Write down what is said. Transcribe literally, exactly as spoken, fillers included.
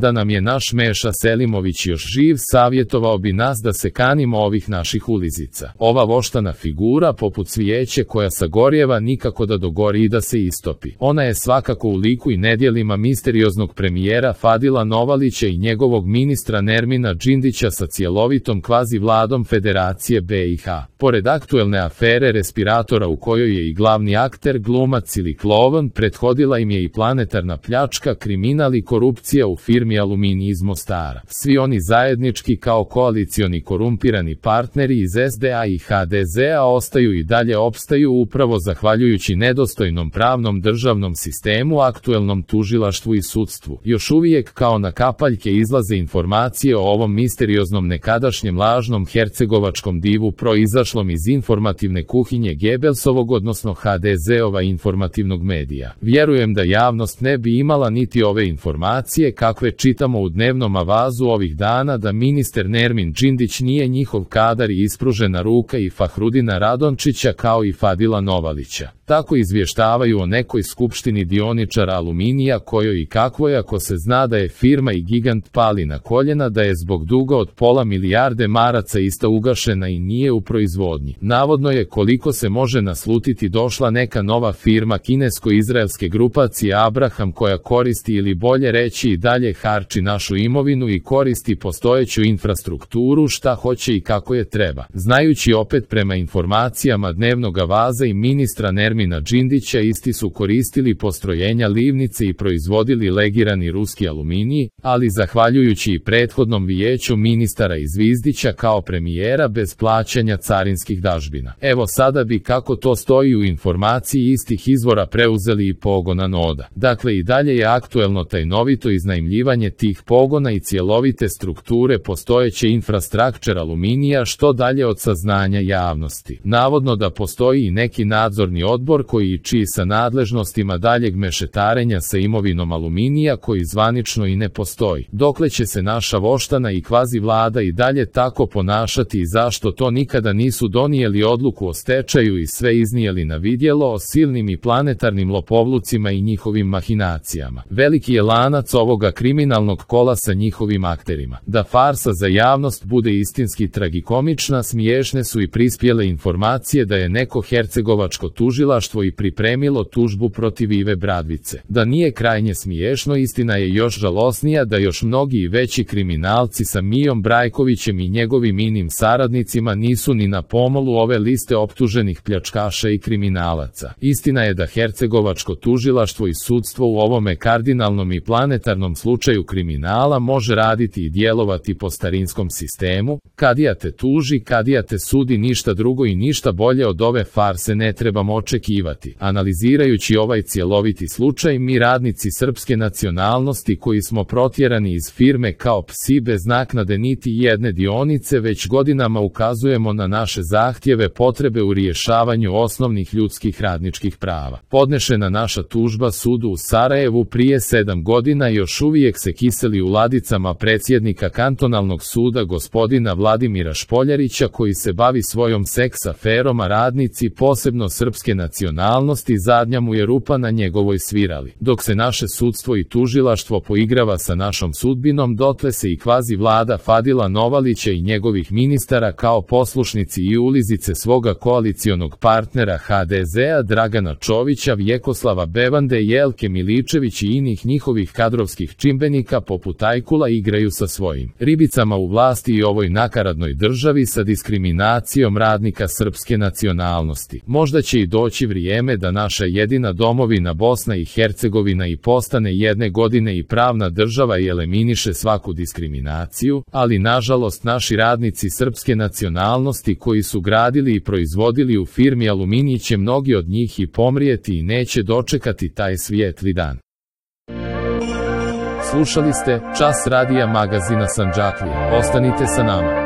Da nam je naš Meša Selimović još živ, savjetovao bi nas da se kanimo ovih naših ulizica. Ova voštana figura, poput cvijeće koja sagorjeva, nikako da dogori i da se istopi. Ona je svakako u liku i nedjelima misterioznog premijera Fadila Novalića i njegovog ministra Nermina Džindića sa cjelovitom kvazi vladom Federacije B i H. Pored aktuelne afere respiratora u kojoj je i glavni akter, glumac ili klovan, prethodila im je i planetarna pljačka, kriminal i korupcija u firmi Aluminij iz Mostara. Svi oni zajednički kao koalicioni korumpirani partneri iz S D A i H D Z-a ostaju i dalje opstaju upravo zahvaljujući nedostojnom pravnom državnom sistemu, aktuelnom tužilaštvu i sudstvu. Još uvijek kao na kapaljke izlaze informacije o ovom misterioznom nekadašnjem lažnom hercegovačkom divu proizašlom iz informativne kuhinje Gebelsovog odnosno H D Z-ova informativnog medija. Vjerujem da javnost ne bi imala niti ove informacije kakve čitamo u dnevnom avazu ovih dana, da ministar Nermin Džindić nije njihov kadar i ispružena ruka i Fahrudina Radončića kao i Fadila Novalića. Tako izvještavaju o nekoj skupštini dioničara Aluminija kojoj i kakvoj, ako se zna da je firma i gigant pali na koljena, da je zbog duga od pola milijarde maraca ista ugašena i nije u proizvodnji. Navodno je, koliko se može naslutiti, došla neka nova firma kinesko-izraelske grupacije Abraham koja koristi, ili bolje reći i dalje harči našu imovinu i koristi postojeću infrastrukturu šta hoće i kako je treba. Znajući opet prema informacijama dnevnog avaza i ministra Nermina Džindića, isti su koristili postrojenja livnice i proizvodili legirani ruski aluminij, ali zahvaljujući i prethodnom vijeću ministara iz Zvizdića kao premijera bez plaćanja carinskih dažbina. Evo sada bi, kako to stoji u informaciji istih izvora, preuzeli i pogona Noda. Dakle, i dalje je aktuelno tajnovito iznajmljivanje tih pogona i cjelovite strukture postojeće infrastrukture aluminija, što dalje od saznanja javnosti. Navodno da postoji i neki nadzorni odbor koji čiji sa nadležnostima daljeg mešetarenja sa imovinom Aluminija koji zvanično i ne postoji. Dokle će se naša voštana i kvazi vlada i dalje tako ponašati i zašto to nikada nisu donijeli odluku o stečaju i sve iznijeli na vidjelo o silnim i planetarnim lopovlucima i njihovim mahinacijama. Veliki je lanac ovoga kriminalnog kola sa njihovim akterima. Da farsa za javnost bude istinski tragikomična, smiješne su i prispjele informacije da je neko hercegovačko tužilaštvo i pripremilo tužbu protiv Ive Bradvice. Da nije krajnje smiješno, istina je još žalosnija, da još mnogi i veći kriminalci sa Mijom Brajkovićem i njegovim inim saradnicima nisu ni na pomolu ove liste optuženih pljačkaša i kriminalaca. Istina je da hercegovačko tužilaštvo i sudstvo u ovome kardinalnom i planetarnom slučaju kriminala može raditi i djelovati po starinskom sistemu: kadija te tuži, kadija te sudi, ništa drugo i ništa bolje od ove farse ne trebamo očekivati. Analizirajući ovaj cjeloviti slučaj, mi radnici srpske nacionalnosti koji smo protjerani iz firme kao psi bez naknade niti jedne dionice, već godinama ukazujemo na naše zahtjeve, potrebe u rješavanju osnovnih ljudskih radničkih prava. Podnešena naša tužba sudu u Sarajevu prije sedam godina još uvijek se kiseli u ladicama predsjednika kantonalnog suda gospodina Vladimira Špoljarića, koji se bavi svojom seks aferom, a radnici posebno srpske nacionalnosti zadnja mu je rupa na njegovoj svirali. Dok se naše sudstvo i tužilaštvo poigrava sa našom sudbinom, dotle se i kvazi vlada Fadila Novalića i njegovih ministara kao poslušnici i ulizice svoga koalicionog partnera H D Z-a Dragana Čovića, Vjekoslava Bevande, Jelke Miličević i inih njihovih kadrovskih čimbenika poput Ajkula igraju sa svojim ribicama u vlasti i ovoj nakaradnoj državi sa diskriminacijom radnika srpske nacionalnosti. Možda će i doći vrijeme da naša jedina domovina Bosna i Hercegovina i postane jedne godine i pravna država i eliminiše svaku diskriminaciju, ali nažalost naši radnici srpske nacionalnosti koji su gradili i proizvodili u firmi Aluminij će mnogi od njih i pomrijeti i neće dočekati taj svijetli dan. Slušali ste Čas radija magazina Sandžaklija. Ostanite sa nama.